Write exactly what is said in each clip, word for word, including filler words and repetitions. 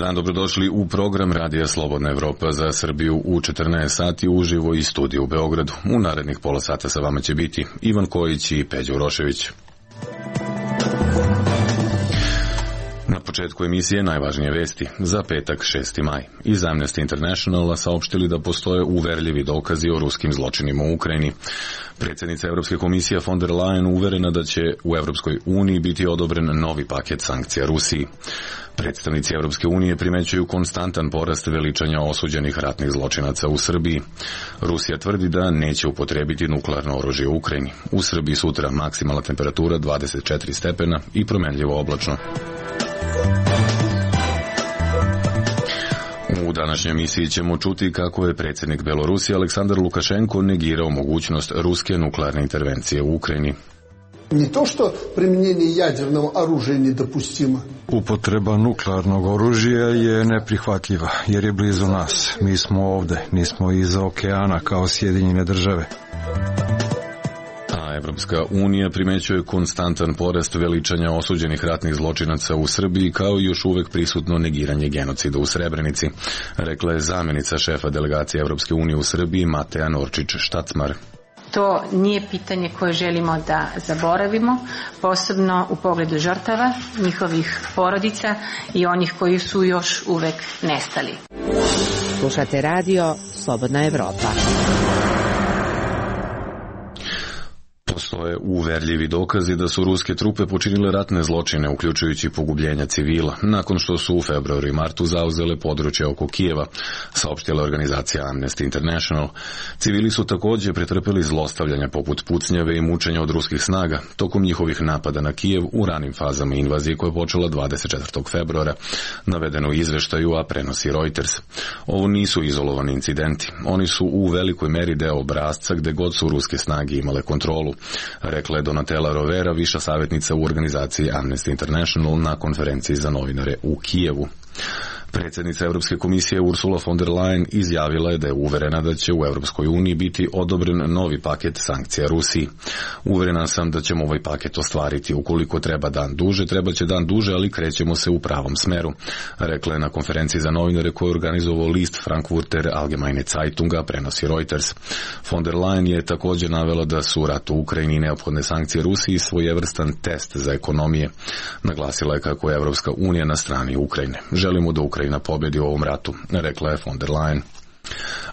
dan, dobrodošli u program Radija Slobodna Evropa za Srbiju u četrnaest sati uživo iz studija u Beogradu. U narednih pola sata sa vama će biti Ivan Kojić i Peđa Urošević. Na početku emisije najvažnije vesti za petak šesti maj. Iz Amnesty Internationala saopštili da postoje uverljivi dokazi o ruskim zločinima u Ukrajini. Predsjednica Evropske komisije von der Leyen uverena da će u Evropskoj uniji biti odobren novi paket sankcija Rusiji. Predstavnici Evropske unije primećuju konstantan porast veličanja osuđenih ratnih zločinaca u Srbiji. Rusija tvrdi da neće upotrijebiti nuklearno oružje u Ukrajini. U Srbiji sutra maksimalna temperatura dvadeset četiri stepena i promenljivo oblačno. U današnjoj emisiji ćemo čuti kako je predsjednik Belorusije Aleksandar Lukašenko negirao mogućnost ruske nuklearne intervencije u Ukrajini. Не то, что применение ядерного оружия недопустимо. Upotreba nuklearnog oružja je neprihvatljiva, jer je blizu nas. Mi smo ovde, nismo iza okeana kao Sjedinjene države. A Evropska unija primećuje konstantan porast veličanja osuđenih ratnih zločinaca u Srbiji, kao i još uvek prisutno negiranje genocida u Srebrenici, rekla je zamjenica šefa delegacije Evropske unije u Srbiji Mateja Norčić-Štacmar. To nije pitanje koje želimo da zaboravimo, posebno u pogledu žrtava, njihovih porodica i onih koji su još uvek nestali. Slušate radio Slobodna Evropa. Postoje uverljivi dokazi da su ruske trupe počinile ratne zločine, uključujući pogubljenja civila, nakon što su u februaru i martu zauzele područje oko Kijeva, saopštila organizacija Amnesty International. Civili su također pretrpeli zlostavljanja poput pucnjave i mučenja od ruskih snaga tokom njihovih napada na Kijev u ranim fazama invazije koja je počela dvadeset četvrtog februara, navedeno u izveštaju, a prenosi Reuters. Ovo nisu izolovani incidenti, oni su u velikoj meri deo obrasca gde god su ruske snage imale kontrolu, rekla je Donatella Rovera, viša savjetnica u organizaciji Amnesty International na konferenciji za novinare u Kijevu. Predsjednica Europske komisije Ursula von der Leyen izjavila je da je uverena da će u Europskoj uniji biti odobren novi paket sankcija Rusiji. Uverena sam da ćemo ovaj paket ostvariti. Ukoliko treba dan duže, treba će dan duže, ali krećemo se u pravom smeru, rekla je na konferenciji za novinare koju je organizovao list Frankfurter Allgemeine Zeitunga, prenosi Reuters. Von der Leyen je također navela da su rat u Ukrajini i neophodne sankcije Rusiji svojevrstan test za ekonomije. Naglasila je kako je Europska unija na strani Ukrajine. Želimo da Ukrajina na pobjedi u ovom ratu, rekla je von der Leyen.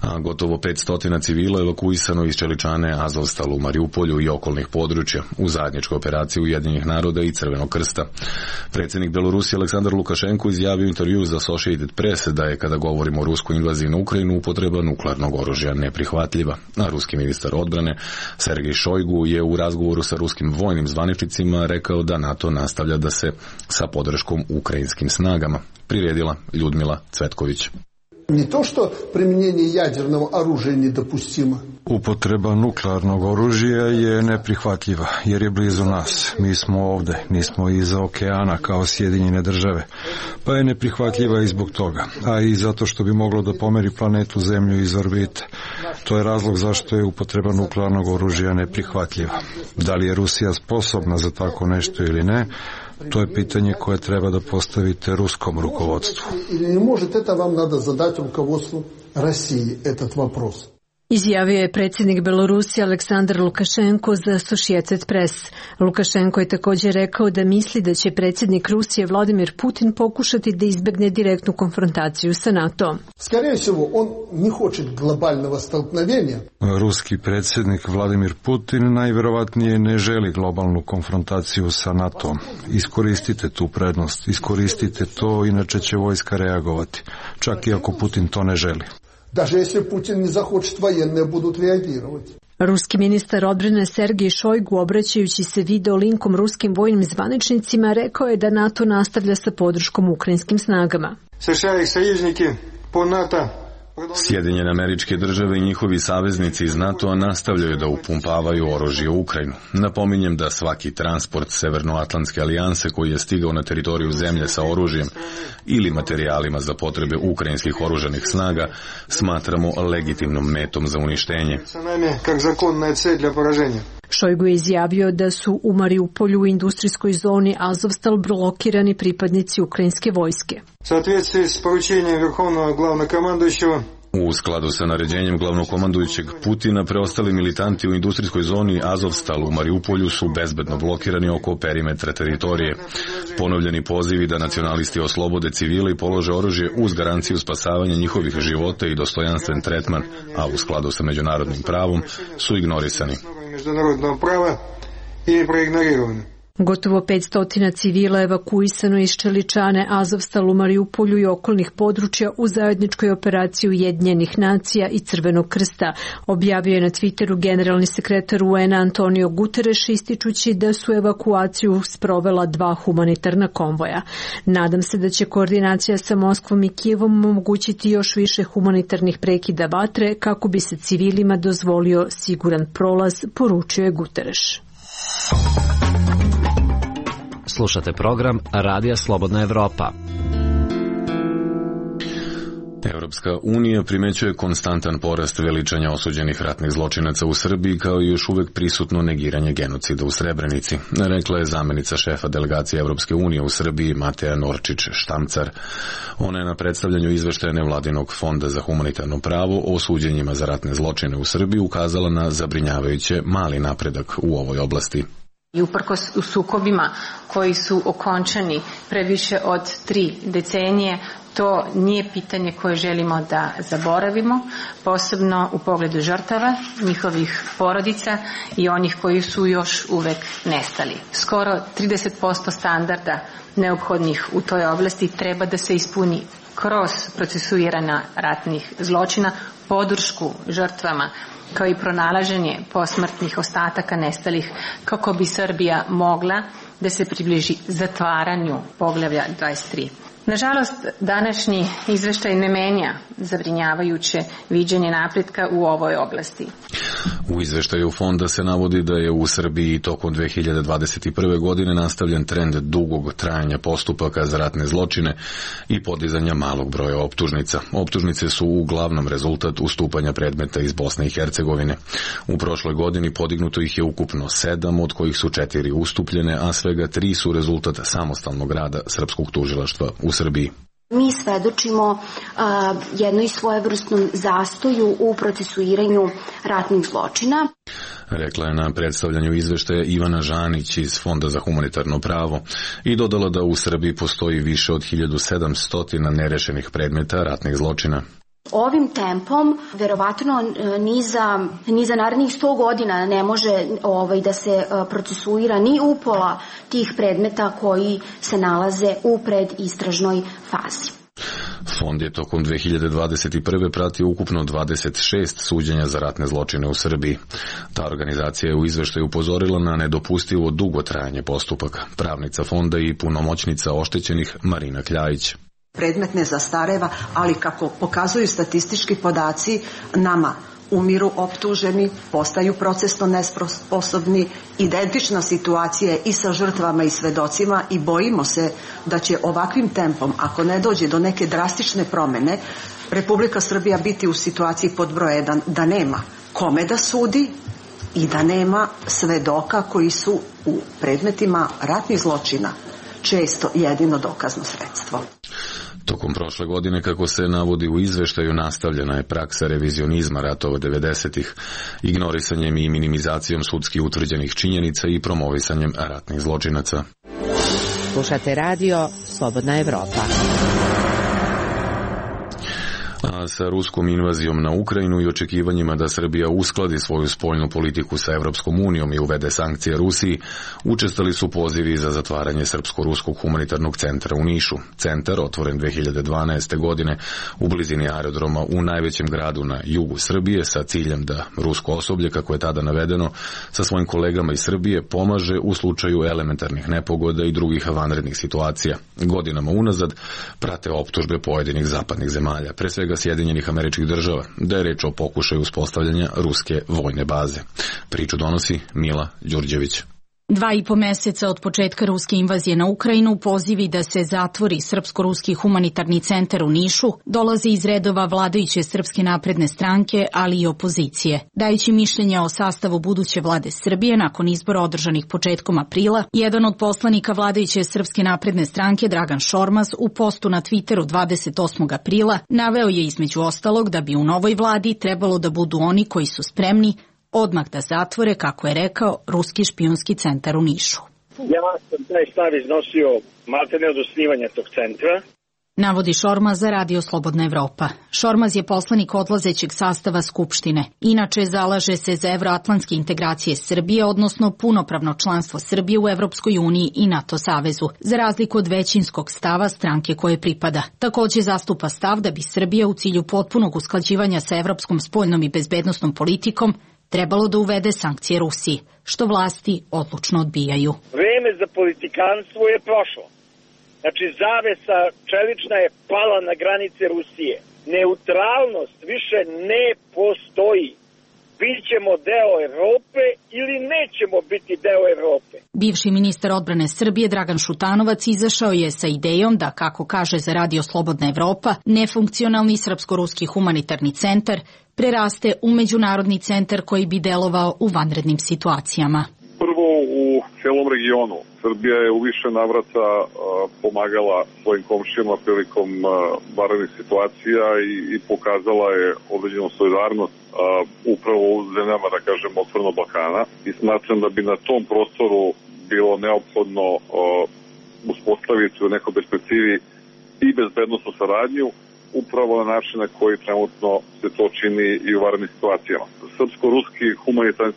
A gotovo petsto civila evakuisano iz čeličane Azovstal u Mariupolju i okolnih područja u zajedničkoj operaciji Ujedinjenih naroda i Crvenog krsta. Predsjednik Belorusije Aleksandar Lukašenko izjavio u intervju za Associated Press da je, kada govorimo o ruskoj invaziji na Ukrajinu, upotreba nuklearnog oružja neprihvatljiva. A ruski ministar odbrane Sergej Šojgu je u razgovoru sa ruskim vojnim zvaničnicima rekao da NATO nastavlja da se sa podrškom ukrajinskim snagama. Priredila Ljudmila Cvetković. Не то, что применение ядерного оружия недопустимо. Upotreba nuklearnog oružja je neprihvatljiva, jer je blizu nas. Mi smo ovde, nismo iza okeana kao Sjedinjene države. Pa je neprihvatljiva i zbog toga, a i zato što bi moglo da pomeri planetu Zemlju iz orbite. To je razlog zašto je upotreba nuklearnog oružja neprihvatljiva. Da li je Rusija sposobna za tako nešto ili ne, to je pitanje koje treba da postavite ruskom rukovodstvu. Ili ne možete, это vam надо задать руководству России этот вопрос. Izjavio je predsjednik Belorusije Aleksandar Lukašenko za Associated Press. Lukašenko je također rekao da misli da će predsjednik Rusije Vladimir Putin pokušati da izbegne direktnu konfrontaciju sa NATO. Скорее всего, он не хочет глобального столкновения. Ruski predsjednik Vladimir Putin najverovatnije ne želi globalnu konfrontaciju sa NATO. Iskoristite tu prednost, iskoristite to, inače će vojska reagovati, čak i ako Putin to ne želi. Даже если Путин не захочет, военные будут реагировать. Ruski ministar odbrane Sergej Šojgu, obraćajući se video linkom ruskim vojnim zvaničnicima, rekao je da NATO nastavlja sa podrškom ukrajinskim snagama. США и союзники по НАТО Sjedinjene Američke Države i njihovi saveznici iz NATO-a nastavljaju da upumpavaju oružje u Ukrajinu. Napominjem da svaki transport Severnoatlantske alijanse koji je stigao na teritoriju zemlje sa oružjem ili materijalima za potrebe ukrajinskih oružanih snaga smatramo legitimnom metom za uništenje. Šojgu je izjavio da su u Mariupolju u industrijskoj zoni Azovstal blokirani pripadnici ukrajinske vojske. В соответствии с поручением Верховного Главнокомандующего U skladu sa naređenjem glavnokomandujućeg Putina, preostali militanti u industrijskoj zoni Azovstal u Mariupolju su bezbedno blokirani oko perimetra teritorije. Ponovljeni pozivi da nacionalisti oslobode civile i polože oružje uz garanciju spasavanja njihovih života i dostojanstven tretman, a u skladu sa međunarodnim pravom, su ignorisani. Međunarodnog prava i preignorirani. Gotovo petsto civila evakuisano iz Čeličane, Azovstal u Mariupolju i okolnih područja u zajedničkoj operaciji Ujedinjenih nacija i Crvenog krsta, objavio je na Twitteru generalni sekretar U N Antonio Guterres, ističući da su evakuaciju sprovela dva humanitarna konvoja. Nadam se da će koordinacija sa Moskvom i Kijevom omogućiti još više humanitarnih prekida vatre kako bi se civilima dozvolio siguran prolaz, poručio je Guterres. Slušate program Radija Slobodna Evropa. Evropska unija primećuje konstantan porast veličanja osuđenih ratnih zločinaca u Srbiji, kao i još uvek prisutno negiranje genocida u Srebrenici, rekla je zamenica šefa delegacije Evropske unije u Srbiji Mateja Norčić-Štamcar. Ona je na predstavljanju izveštaja Nevladinog fonda za humanitarno pravo o suđenjima za ratne zločine u Srbiji ukazala na zabrinjavajuće mali napredak u ovoj oblasti. I uprkos u sukobima koji su okončani previše od tri decenije, to nije pitanje koje želimo da zaboravimo, posebno u pogledu žrtava, njihovih porodica i onih koji su još uvek nestali. Skoro trideset posto standarda neophodnih u toj oblasti treba da se ispuni kroz procesuirana ratnih zločina, podršku žrtvama, kao i pronalaženje posmrtnih ostataka nestalih, kako bi Srbija mogla da se približi zatvaranju poglavlja dvadeset tri. Nažalost, današnji izveštaj ne menja zabrinjavajuće viđenje napretka u ovoj oblasti. U izveštaju fonda se navodi da je u Srbiji tokom dve hiljade dvadeset prve. godine nastavljen trend dugog trajanja postupaka za ratne zločine i podizanja malog broja optužnica. Optužnice su uglavnom rezultat ustupanja predmeta iz Bosne i Hercegovine. U prošloj godini podignuto ih je ukupno sedam, od kojih su četiri ustupljene, a svega tri su rezultat samostalnog rada srpskog tužilaštva u Srbiji. Mi svedočimo uh, jednoj svojevrsnom zastoju u procesuiranju ratnih zločina. Rekla je na predstavljanju izveštaja Ivana Žanić iz Fonda za humanitarno pravo i dodala da u Srbiji postoji više od hiljadu sedamsto nerešenih predmeta ratnih zločina. Ovim tempom, verovatno ni za, ni za narednih sto godina ne može ovaj, da se procesuira ni upola tih predmeta koji se nalaze u predistražnoj fazi. Fond je tokom dve hiljade dvadeset prve. pratio ukupno dvadeset šest suđenja za ratne zločine u Srbiji. Ta organizacija je u izveštaju upozorila na nedopustivo dugo trajanje postupaka. Pravnica fonda i punomoćnica oštećenih Marina Kljajić. Predmet ne zastareva, ali kako pokazuju statistički podaci, nama umiru optuženi, postaju procesno nesposobni, identična situacija je i sa žrtvama i svedocima i bojimo se da će ovakvim tempom, ako ne dođe do neke drastične promene, Republika Srbija biti u situaciji pod broj jedan da nema kome da sudi i da nema svedoka koji su u predmetima ratnih zločina često jedino dokazno sredstvo. Tokom prošle godine, kako se navodi u izveštaju, nastavljena je praksa revizionizma ratova devedesetih, ignorisanjem i minimizacijom sudski utvrđenih činjenica i promovisanjem ratnih zločinaca. Slušate radio Slobodna Evropa. A sa ruskom invazijom na Ukrajinu i očekivanjima da Srbija uskladi svoju spoljnu politiku sa Evropskom unijom i uvede sankcije Rusiji, učestali su pozivi za zatvaranje Srpsko-ruskog humanitarnog centra u Nišu. Centar, otvoren dve hiljade dvanaeste. godine u blizini aerodroma u najvećem gradu na jugu Srbije, sa ciljem da rusko osoblje, kako je tada navedeno, sa svojim kolegama iz Srbije pomaže u slučaju elementarnih nepogoda i drugih vanrednih situacija. Godinama unazad prate optužbe pojedinih zapadnih zemalja, pre svega Sjedinjenih Američkih Država, da je reč o pokušaju uspostavljanja ruske vojne baze. Priču donosi Mila Đurđević. Dva i po meseca od početka ruske invazije na Ukrajinu pozivi da se zatvori Srpsko-ruski humanitarni centar u Nišu dolaze iz redova vladajuće Srpske napredne stranke, ali i opozicije. Dajući mišljenje o sastavu buduće vlade Srbije nakon izbora održanih početkom aprila, jedan od poslanika vladajuće Srpske napredne stranke, Dragan Šormaz, u postu na Twitteru dvadeset osmog aprila naveo je između ostalog da bi u novoj vladi trebalo da budu oni koji su spremni odmah da zatvore, kako je rekao, ruski špijunski centar u Nišu. Ja sam taj stav iznosio maltene od osnivanja tog centra. Navodi Šormaz za Radio Slobodna Evropa. Šormaz je poslanik odlazećeg sastava Skupštine. Inače, zalaže se za evroatlantske integracije Srbije, odnosno punopravno članstvo Srbije u Evropskoj uniji i NATO savezu, za razliku od većinskog stava stranke koje pripada. Takođe zastupa stav da bi Srbija u cilju potpunog usklađivanja sa evropskom spoljnom i bezbednosnom politikom trebalo da uvede sankcije Rusiji, što vlasti odlučno odbijaju. Vreme za politikanstvo je prošlo. Znači, zavesa čelična je pala na granice Rusije. Neutralnost više ne postoji. Bićemo deo Evrope ili nećemo biti deo Evrope. Bivši ministar odbrane Srbije Dragan Šutanovac izašao je sa idejom da, kako kaže za Radio Slobodna Evropa, nefunkcionalni Srpsko-ruski humanitarni centar preraste u međunarodni centar koji bi delovao u vanrednim situacijama. Prvo, u celom regionu Srbija je u više navrata uh, pomagala svojim komšijama prilikom uh, vanrednih situacija i, i pokazala je određenu solidarnost uh, upravo u zemljama, da kažem, otvorenog Balkana, i smatram da bi na tom prostoru bilo neophodno uh, uspostaviti u nekoj perspektivi i bezbednosnu saradnju, upravo na način na koji trenutno se to čini i u vanrednim situacijama. Srpsko-ruski humanitarni,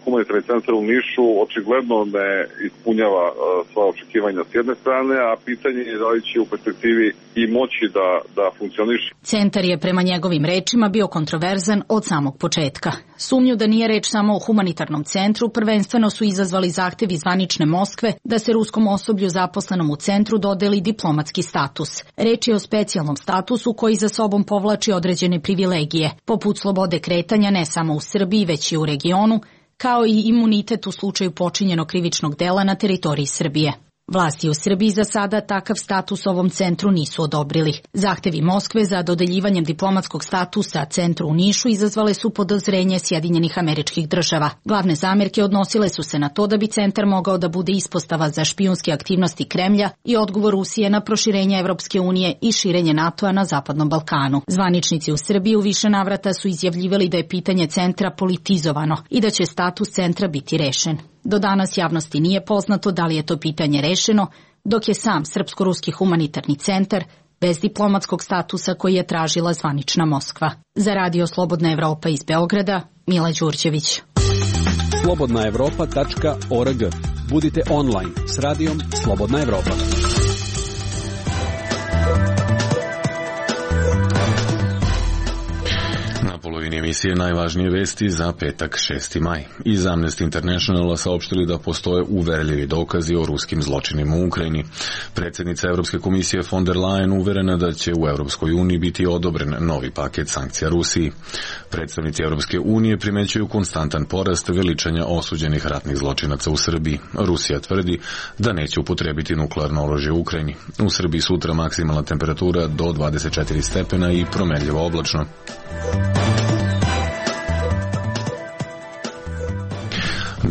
humanitarni centar u Nišu očigledno ne ispunjava uh, sva očekivanja s jedne strane, a pitanje je da li će u perspektivi i moći da, da funkcioniše. Centar je prema njegovim rečima bio kontroverzan od samog početka. Sumnju da nije reč samo o humanitarnom centru prvenstveno su izazvali zahtevi zvanične Moskve da se ruskom osoblju zaposlenom u centru dodeli diplomatski status. Reč je o specijalnom statusu koji za sobom povlači određene privilegije, poput slobode kretanja ne samo u Srbiji, već i u regionu, kao i imunitet u slučaju počinjenog krivičnog dela na teritoriji Srbije. Vlasti u Srbiji za sada takav status ovom centru nisu odobrili. Zahtevi Moskve za dodeljivanjem diplomatskog statusa centru u Nišu izazvale su podozrenje Sjedinjenih Američkih Država. Glavne zamerke odnosile su se na to da bi centar mogao da bude ispostava za špijunske aktivnosti Kremlja i odgovor Rusije na proširenje Evropske unije i širenje NATO-a na Zapadnom Balkanu. Zvaničnici u Srbiji u više navrata su izjavljivali da je pitanje centra politizovano i da će status centra biti rešen. Do danas javnosti nije poznato da li je to pitanje rešeno, dok je sam Srpsko-ruski humanitarni centar bez diplomatskog statusa koji je tražila zvanična Moskva. Za Radio Slobodna Evropa iz Beograda, Mila Đurđević. slobodna evropa tačka org. Budite online s radijom Slobodna Evropa. Polovini emisije najvažnije vesti za petak šesti maj. Iz Amnesty Internationala saopštili da postoje uverljivi dokazi o ruskim zločinima u Ukrajini. Predsjednica Evropske komisije von der Leyen uverena da će u Evropskoj uniji biti odobren novi paket sankcija Rusiji. Predstavnici Evropske unije primećuju konstantan porast veličanja osuđenih ratnih zločinaca u Srbiji. Rusija tvrdi da neće upotrebiti nuklearno oružje u Ukrajini. U Srbiji sutra maksimalna temperatura do dvadeset četiri stepena i promenljivo oblačno.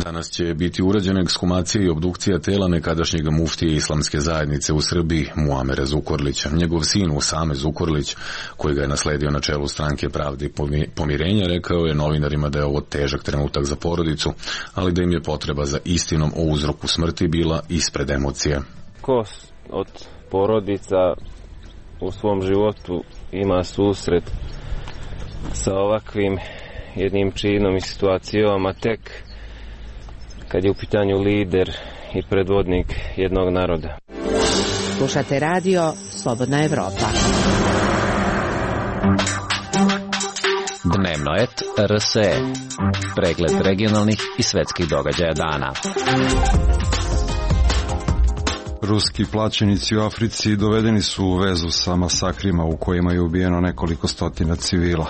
Danas će biti urađena ekshumacija i obdukcija tela nekadašnjeg muftije islamske zajednice u Srbiji, Muamera Zukorlića. Njegov sin Usame Zukorlić, koji ga je nasledio na čelu stranke Pravde i pomirenja, rekao je novinarima da je ovo težak trenutak za porodicu, ali da im je potreba za istinom o uzroku smrti bila ispred emocije. Ko od porodica u svom životu ima susret sa ovakvim jednim činom i situacijom, a tek kad je u pitanju lider i predvodnik jednog naroda. Slušate radio Slobodna Evropa. Dnevno et R S E. Pregled regionalnih i svetskih događaja dana. Ruski plaćenici u Africi dovedeni su u vezu sa masakrima u kojima je ubijeno nekoliko stotina civila,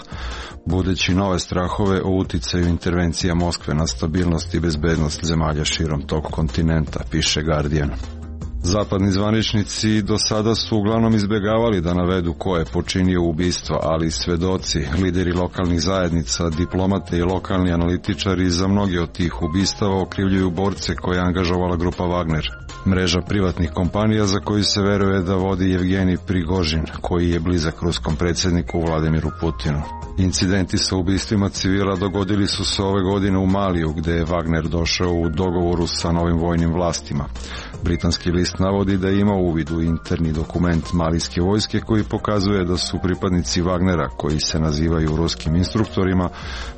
budeći nove strahove o uticaju intervencija Moskve na stabilnost i bezbednost zemalja širom tog kontinenta, piše Guardian. Zapadni zvaničnici do sada su uglavnom izbjegavali da navedu ko je počinio ubistvo, ali svedoci, lideri lokalnih zajednica, diplomate i lokalni analitičari za mnoge od tih ubistava okrivljuju borce koje je angažovala grupa Wagner, mreža privatnih kompanija za koju se veruje da vodi Evgenij Prigožin, koji je blizak ruskom predsjedniku Vladimiru Putinu. Incidenti sa ubistvima civila dogodili su se ove godine u Maliju, gde je Wagner došao u dogovoru sa novim vojnim vlastima. Britanski list navodi da ima uvid u interni dokument malijske vojske koji pokazuje da su pripadnici Wagnera, koji se nazivaju ruskim instruktorima,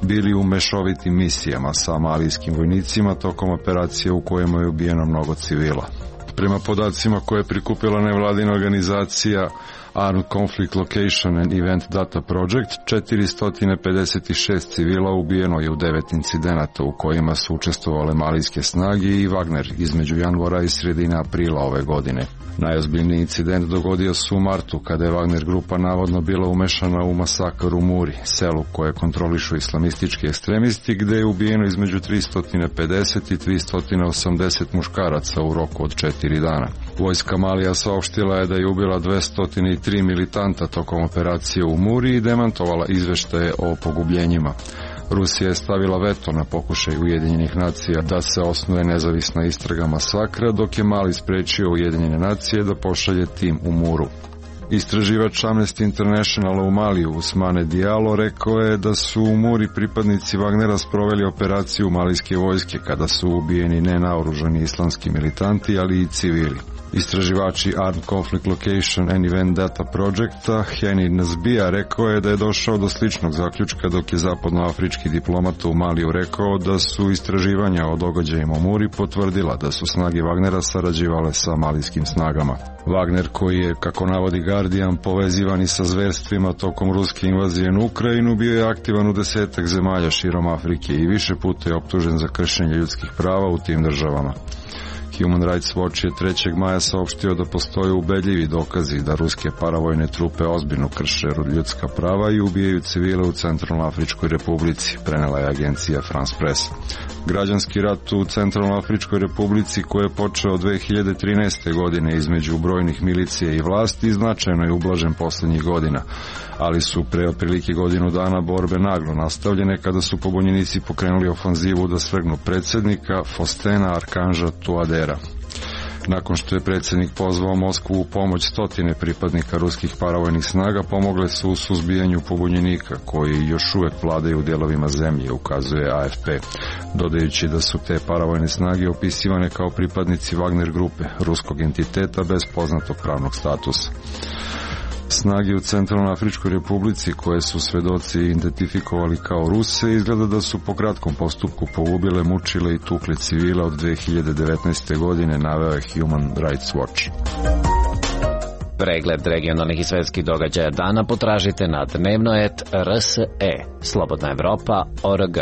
bili u mešovitim misijama sa malijskim vojnicima tokom operacije u kojima je ubijeno mnogo civila. Prema podacima koje je prikupila nevladina organizacija Armed Conflict Location and Event Data Project, četiristo pedeset šest civila ubijeno je u devet incidenata u kojima su učestvovale malijske snage i Wagner između januara i sredine aprila ove godine. Najozbiljniji incident dogodio se u martu, kada je Wagner grupa navodno bila umešana u masakr u Muri, selu koje kontrolišu islamistički ekstremisti, gde je ubijeno između tristo pedeset i tristo osamdeset muškaraca u roku od četiri dana. Vojska Malija saopštila je da je ubila dvesta tri militanta tokom operacije u Muri i demantovala izveštaje o pogubljenjima. Rusija je stavila veto na pokušaj Ujedinjenih nacija da se osnuje nezavisna istraga masakra, dok je Mali sprečio Ujedinjene nacije da pošalje tim u Muru. Istraživač Amnesty Internationala u Maliju, Usmane Diallo, rekao je da su u Muri pripadnici Wagnera sproveli operaciju malijske vojske kada su ubijeni nenaoružani islamski militanti, ali i civili. Istraživači Armed Conflict Location and Event Data Projecta Heni Nazbija rekao je da je došao do sličnog zaključka dok je zapadnoafrički diplomat u Maliju rekao da su istraživanja o događajima u Muri potvrdila da su snage Wagnera sarađivale sa malijskim snagama. Wagner, koji je, kako navodi Guardian, povezivan i sa zverstvima tokom ruske invazije na Ukrajinu, bio je aktivan u desetak zemalja širom Afrike i više puta je optužen za kršenje ljudskih prava u tim državama. Human Rights Watch je trećeg maja saopštio da postoje ubedljivi dokazi da ruske paravojne trupe ozbiljno krše ljudska prava i ubijaju civile u Centralnoafričkoj republici, prenela je agencija France Press. Građanski rat u Centralnoafričkoj republici, koji je počeo dve hiljade trinaeste. godine između brojnih milicija i vlasti, značajno je ublažen poslednjih godina, ali su pre otprilike godinu dana borbe naglo nastavljene kada su pobunjenici pokrenuli ofanzivu da svrgnu predsjednika Faustena Arkanža Touadera. Nakon što je predsjednik pozvao Moskvu u pomoć, stotine pripadnika ruskih paravojnih snaga pomogle su u suzbijanju pobunjenika koji još uvek vladaju u dijelovima zemlje, ukazuje A F P, dodajući da su te paravojne snage opisivane kao pripadnici Wagner grupe, ruskog entiteta bez poznatog pravnog statusa. Snage u Centralnoafričkoj republici, koje su svedoci identifikovali kao Ruse, izgleda da su po kratkom postupku pogubile, mučile i tukle civila od dve hiljade devetnaeste. godine, naveo je Human Rights Watch. Pregled regionalnih i svetskih događaja dana potražite na dnevno et r s e, Slobodna Evropa, o r g.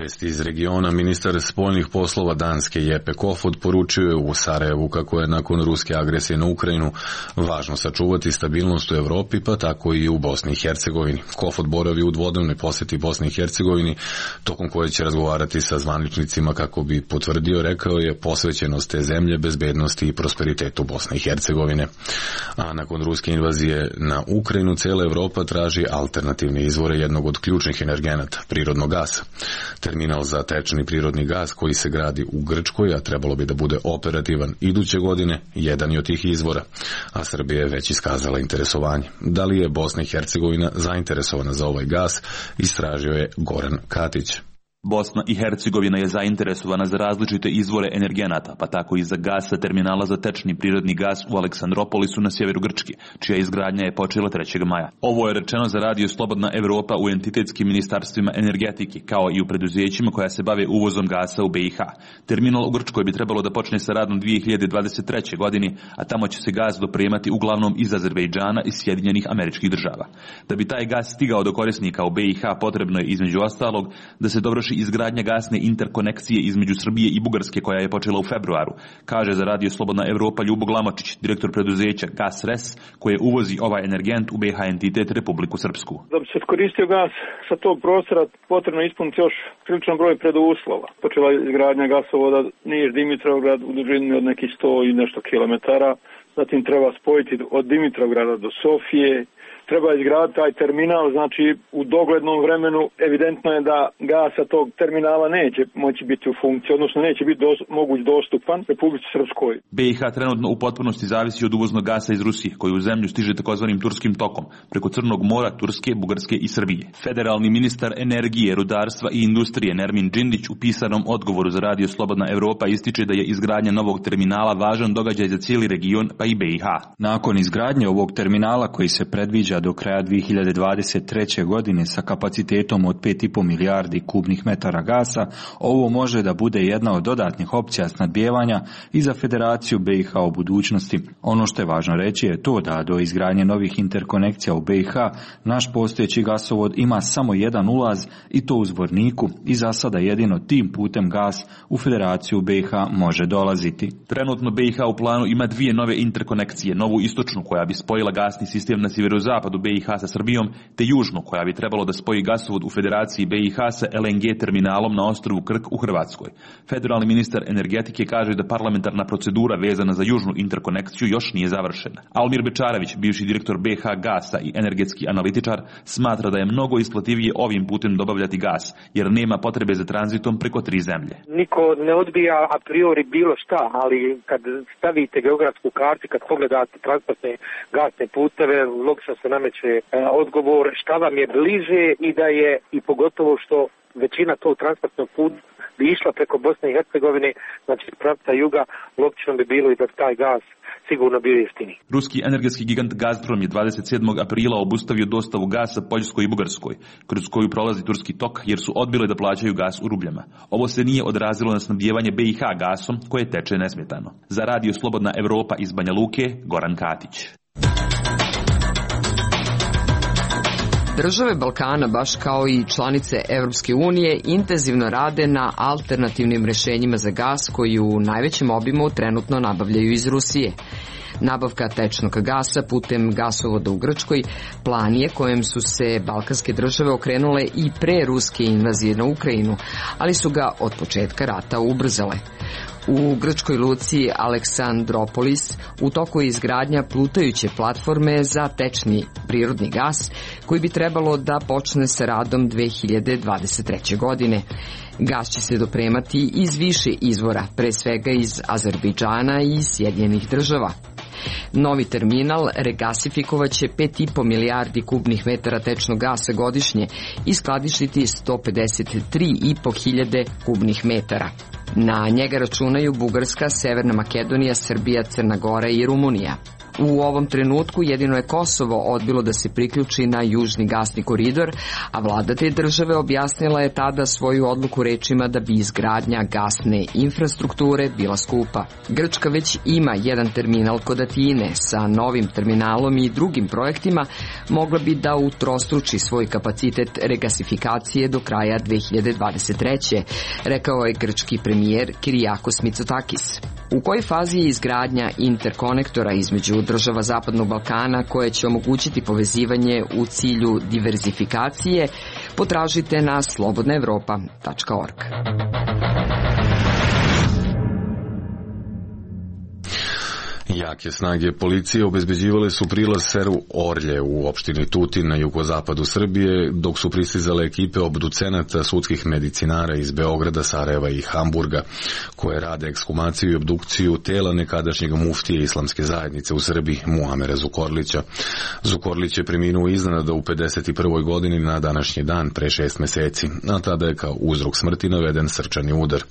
Vesti iz regiona. Ministar spoljnih poslova Danske Jeppe Kofod poručio je u Sarajevu kako je nakon ruske agresije na Ukrajinu važno sačuvati stabilnost u Evropi, pa tako i u Bosni i Hercegovini. Kofod boravi u dvodnevnoj posjeti Bosni i Hercegovini, tokom koje će razgovarati sa zvaničnicima kako bi potvrdio, rekao je, posvećenost te zemlje bezbednosti i prosperitetu Bosne i Hercegovine. A nakon ruske invazije na Ukrajinu, cijela Evropa traži alternativne izvore jednog od ključnih energenata, prirodnog gasa. Terminal za tečni prirodni gas koji se gradi u Grčkoj, a trebalo bi da bude operativan iduće godine, jedan je od tih izvora, a Srbija je već iskazala interesovanje. Da li je Bosna i Hercegovina zainteresovana za ovaj gas, istražio je Goran Katić. Bosna i Hercegovina je zainteresovana za različite izvore energenata, pa tako i za gas sa terminala za tečni prirodni gas u Aleksandropolisu na sjeveru Grčke, čija izgradnja je počela trećeg maja. Ovo je rečeno za radio Slobodna Evropa u entitetskim ministarstvima energetike, kao i u preduzećima koja se bave uvozom gasa u B i H. Terminal u Grčkoj bi trebalo da počne sa radom dve hiljade dvadeset treće. godine, a tamo će se gas dopremati uglavnom iz Azerbejdžana i Sjedinjenih Američkih Država. Da bi taj gas stigao do korisnika u B i H, potrebno je između ostalog da se dovrši izgradnja gasne interkonekcije između Srbije i Bugarske koja je počela u februaru, kaže za Radio Slobodna Evropa Ljubo Glamočić, direktor preduzeća GasRes, koje uvozi ovaj energent u B H entitet Republiku Srpsku. Da bi se koristio gas sa tog prostora, potrebno ispuniti još priličan broj preduslova. Počela je izgradnja gasovoda Niš-Dimitrovgrad u dužini od nekih sto i nešto kilometara. Zatim treba spojiti od Dimitrovgrada do Sofije. Treba izgraditi taj terminal, znači u doglednom vremenu evidentno je da gasa tog terminala neće moći biti u funkciji, odnosno neće biti dos, moguć dostupan Republici Srpskoj. B i H trenutno u potpunosti zavisi od uvoznog gasa iz Rusije, koji u zemlju stiže takozvanim turskim tokom, preko Crnog mora, Turske, Bugarske i Srbije. Federalni ministar energije, rudarstva i industrije Nermin Džindić u pisanom odgovoru za Radio Slobodna Evropa ističe da je izgradnja novog terminala važan događaj za cijeli region, pa i B i H. Nakon izgradnje ovog terminala koji se predviđa do kraja dvije hiljade dvadeset treće. godine sa kapacitetom od pet i po milijardi kubnih metara gasa, ovo može da bude jedna od dodatnih opcija snabdijevanja i za Federaciju B i H u budućnosti. Ono što je važno reći je to da do izgradnje novih interkonekcija u B i H naš postojeći gasovod ima samo jedan ulaz i to u Zvorniku i za sada jedino tim putem gas u Federaciju B i H može dolaziti. Trenutno B i H u planu ima dvije nove interkonekcije, novu istočnu koja bi spojila gasni sistem na sjeverozapadu B i H sa Srbijom, te južnu koja bi trebalo da spoji gasovod u Federaciji B i H sa L N G terminalom na ostrvu Krk u Hrvatskoj. Federalni ministar energetike kaže da parlamentarna procedura vezana za južnu interkonekciju još nije završena. Almir Bečarević, bivši direktor B H Gasa i energetski analitičar, smatra da je mnogo isplativije ovim putem dobavljati gas, jer nema potrebe za tranzitom preko tri zemlje. Niko ne odbija a priori bilo šta, ali kad stavite geografsku kartu, kad pogledate transportne gasne puteve, logično se nameće e, odgovor šta vam je bliže i da je, i pogotovo što većina tog transportnog puta bi išla preko Bosne i Hercegovine, znači pravca juga, logično bi bilo i da taj gas sigurno bio jeftiniji. Ruski energetski gigant Gazprom je dvadeset sedmog aprila obustavio dostavu gasa Poljskoj i Bugarskoj, kroz koju prolazi turski tok, jer su odbile da plaćaju gas u rubljama. Ovo se nije odrazilo na snabdijevanje B i H gasom, koje teče nesmetano. Za Radio Slobodna Evropa iz Banja Luke, Goran Katić. Države Balkana, baš kao i članice Evropske unije, intenzivno rade na alternativnim rešenjima za gas koji u najvećem obimu trenutno nabavljaju iz Rusije. Nabavka tečnog gasa putem gasovoda u Grčkoj plan je kojem su se balkanske države okrenule i pre ruske invazije na Ukrajinu, ali su ga od početka rata ubrzale. U grčkoj luci Aleksandropolis u toku je izgradnja plutajuće platforme za tečni prirodni gas koji bi trebalo da počne sa radom dve hiljade dvadeset treće. godine. Gas će se dopremati iz više izvora, pre svega iz Azerbejdžana i Sjedinjenih država. Novi terminal regasifikovaće pet i po milijardi kubnih metara tečnog gasa godišnje i skladištiti sto pedeset tri i po hiljade kubnih metara. Na njega računaju Bugarska, Severna Makedonija, Srbija, Crna Gora i Rumunija. U ovom trenutku jedino je Kosovo odbilo da se priključi na južni gasni koridor, a vlada te države objasnila je tada svoju odluku rečima da bi izgradnja gasne infrastrukture bila skupa. Grčka već ima jedan terminal kod Atine, sa novim terminalom i drugim projektima mogla bi da utrostruči svoj kapacitet regasifikacije do kraja dve hiljade dvadeset treće. rekao je grčki premijer Kyriakos Mitsotakis. U kojoj fazi je izgradnja interkonektora između država Zapadnog Balkana koje će omogućiti povezivanje u cilju diverzifikacije, potražite na slobodna evropa tačka org. Jake snage policije obezbeđivale su prilaz selu Orlje u opštini Tutin na jugozapadu Srbije, dok su pristizale ekipe obducenata sudskih medicinara iz Beograda, Sarajeva i Hamburga, koje rade ekshumaciju i obdukciju tela nekadašnjeg muftije islamske zajednice u Srbiji, Muamera Zukorlića. Zukorlić je preminuo iznenada u pedeset prvoj. godini na današnji dan pre šest meseci, a tada je kao uzrok smrti naveden srčani udar.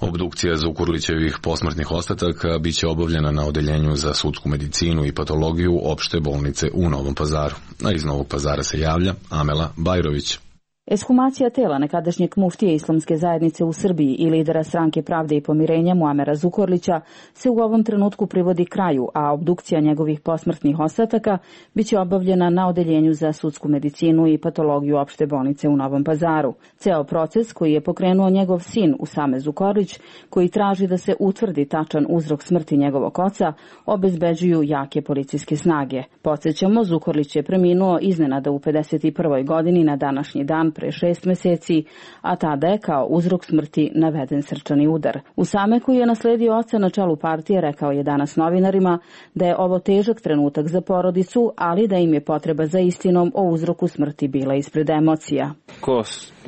Obdukcija Zukorlićevih posmrtnih ostataka biće obavljena na odeljenju za sudsku medicinu i patologiju opšte bolnice u Novom Pazaru. A iz Novog Pazara se javlja Amela Bajrović. Ekshumacija tela nekadašnjeg muftije islamske zajednice u Srbiji i lidera Stranke pravde i pomirenja Muamera Zukorlića se u ovom trenutku privodi kraju, a obdukcija njegovih posmrtnih ostataka biće obavljena na odeljenju za sudsku medicinu i patologiju opšte bolnice u Novom Pazaru. Ceo proces koji je pokrenuo njegov sin Usame Zukorlić, koji traži da se utvrdi tačan uzrok smrti njegovog oca, obezbeđuju jake policijske snage. Podsjećamo, Zukorlić je preminuo iznenada u pedeset prvoj godini na današnji dan pre šest meseci, a tada je kao uzrok smrti naveden srčani udar. Usame, koji je nasledio oca na čelu partije, rekao je danas novinarima da je ovo težak trenutak za porodicu, ali da im je potreba za istinom o uzroku smrti bila ispred emocija. Ko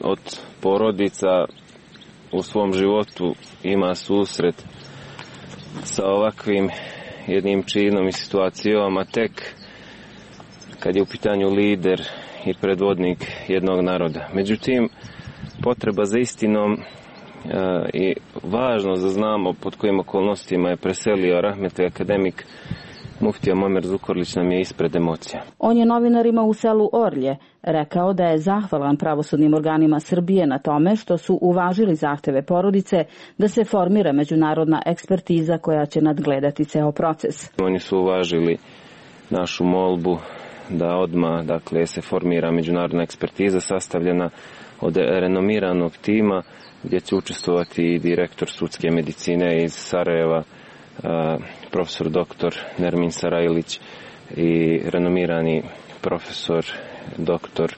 od porodica u svom životu ima susret sa ovakvim jednim činom i situacijom, a tek kad je u pitanju lider i predvodnik jednog naroda. Međutim, potreba za istinom e, i važno da znamo pod kojim okolnostima je preselio rahmetli akademik muftija Muamer Zukorlić nam je ispred emocija. On je novinarima u selu Orlje rekao da je zahvalan pravosudnim organima Srbije na tome što su uvažili zahteve porodice da se formira međunarodna ekspertiza koja će nadgledati ceo proces. Oni su uvažili našu molbu da odmah, dakle, se formira međunarodna ekspertiza sastavljena od renomiranog tima gdje će učestvovati i direktor sudske medicine iz Sarajeva, profesor doktor Nermin Sarajlić i renomirani profesor doktor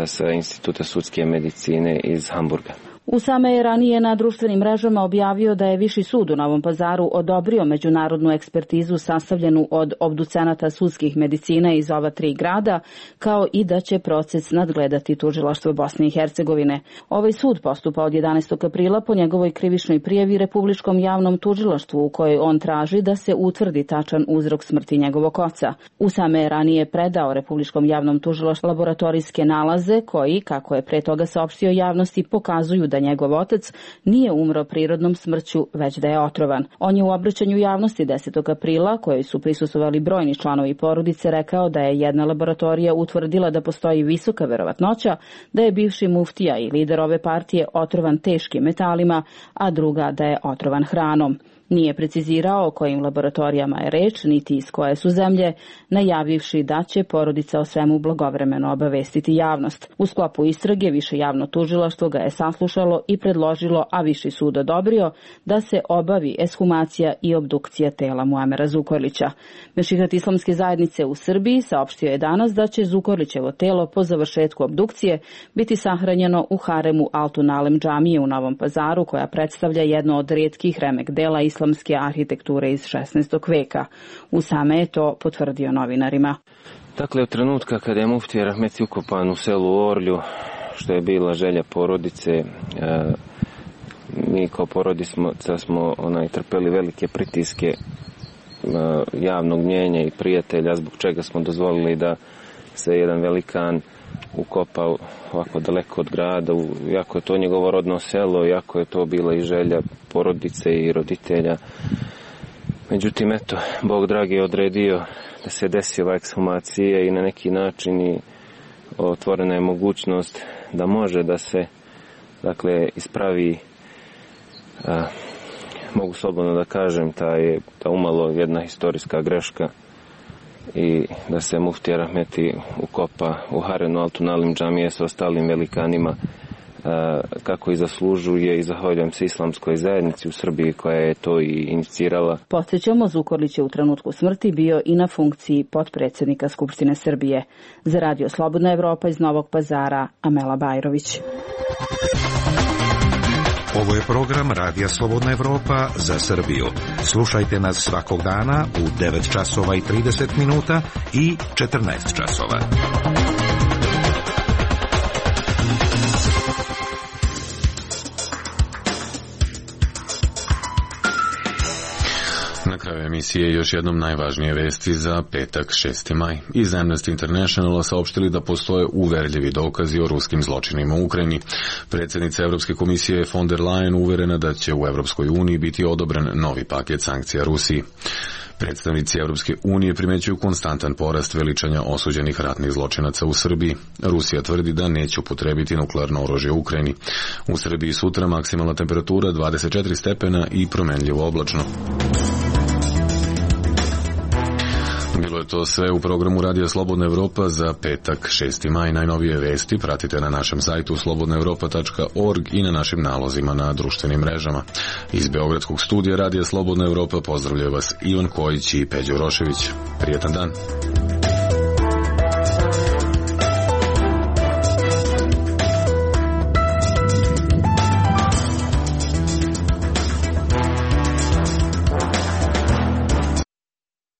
sa Instituta sudske medicine iz Hamburga. Usame je ranije na društvenim mrežama objavio da je Viši sud u Novom Pazaru odobrio međunarodnu ekspertizu sastavljenu od obducenata sudskih medicina iz ova tri grada, kao i da će proces nadgledati tužilaštvo Bosne i Hercegovine. Ovaj sud postupa od jedanaestog aprila po njegovoj krivičnoj prijavi Republičkom javnom tužilaštvu u kojoj on traži da se utvrdi tačan uzrok smrti njegovog oca. Usame je ranije predao Republičkom javnom tužilaštvu laboratorijske nalaze koji, kako je pre toga saopštio javnosti, pokazuju da njegov otac nije umro prirodnom smrću, već da je otrovan. On je u obraćanju javnosti desetog aprila, kojoj su prisustvovali brojni članovi porodice, rekao da je jedna laboratorija utvrdila da postoji visoka verovatnoća da je bivši muftija i lider ove partije otrovan teškim metalima, a druga da je otrovan hranom. Nije precizirao o kojim laboratorijama je reč, niti iz koje su zemlje, najavivši da će porodica o svemu blagovremeno obavestiti javnost. U sklopu istrage Više javno tužilaštvo ga je saslušalo i predložilo, a Viši sud odobrio, da se obavi ekshumacija i obdukcija tela Muamera Zukorlića. Mešihat islamske zajednice u Srbiji saopštio je danas da će Zukorlićevo telo po završetku obdukcije biti sahranjeno u haremu Altun Alem džamije u Novom Pazaru, koja predstavlja jedno od retkih remek dela islamske arhitekture iz šesnaestog veka. Usame je to potvrdio novinarima. Dakle, od trenutka kada je muftija rahmetli ukopan u selu Orlju, što je bila želja porodice, e, mi kao porodica smo onaj, trpeli velike pritiske e, javnog mnjenja i prijatelja, zbog čega smo dozvolili da se jedan velikan ukopa ovako daleko od grada, iako je to njegovo rodno selo, iako je to bila i želja porodice i roditelja. Međutim, eto, Bog dragi je odredio da se desi ova ekshumacija i na neki način i otvorena je mogućnost da može da se, dakle, ispravi, a, mogu slobodno da kažem, ta je ta umalo jedna historijska greška i da se muftija rahmeti ukopa u harenu Altun Alem džamije sa ostalim velikanima kako i zaslužuje, i zahvaljujem se islamskoj zajednici u Srbiji koja je to i inicirala. Podsjećamo, Zukorlić je u trenutku smrti bio i na funkciji potpredsjednika Skupštine Srbije. Za Radio Slobodna Evropa iz Novog Pazara, Amela Bajrović. Ovo je program Radija Slobodna Evropa za Srbiju. Slušajte nas svakog dana u devet časova i trideset minuta i četrnaest časova. Na kraju emisije još jednom najvažnije vesti za petak šesti maj. Iz Amnesty Internationala saopštili da postoje uverljivi dokazi o ruskim zločinima u Ukrajini. Predsjednica Evropske komisije von der Leyen uverena da će u Evropskoj uniji biti odobren novi paket sankcija Rusiji. Predstavnici Evropske unije primećuju konstantan porast veličanja osuđenih ratnih zločinaca u Srbiji. Rusija tvrdi da neće upotrebiti nuklearno oružje u Ukrajini. U Srbiji sutra maksimalna temperatura dvadeset četiri stepena i promenljivo oblačno. Bilo je to sve u programu Radija Slobodna Evropa za petak šesti maj. Najnovije vesti pratite na našem sajtu slobodna evropa tačka org i na našim nalozima na društvenim mrežama. Iz Beogradskog studija Radija Slobodna Evropa pozdravljaju vas Ivan Kojić i Peđo Rošević. Prijetan dan.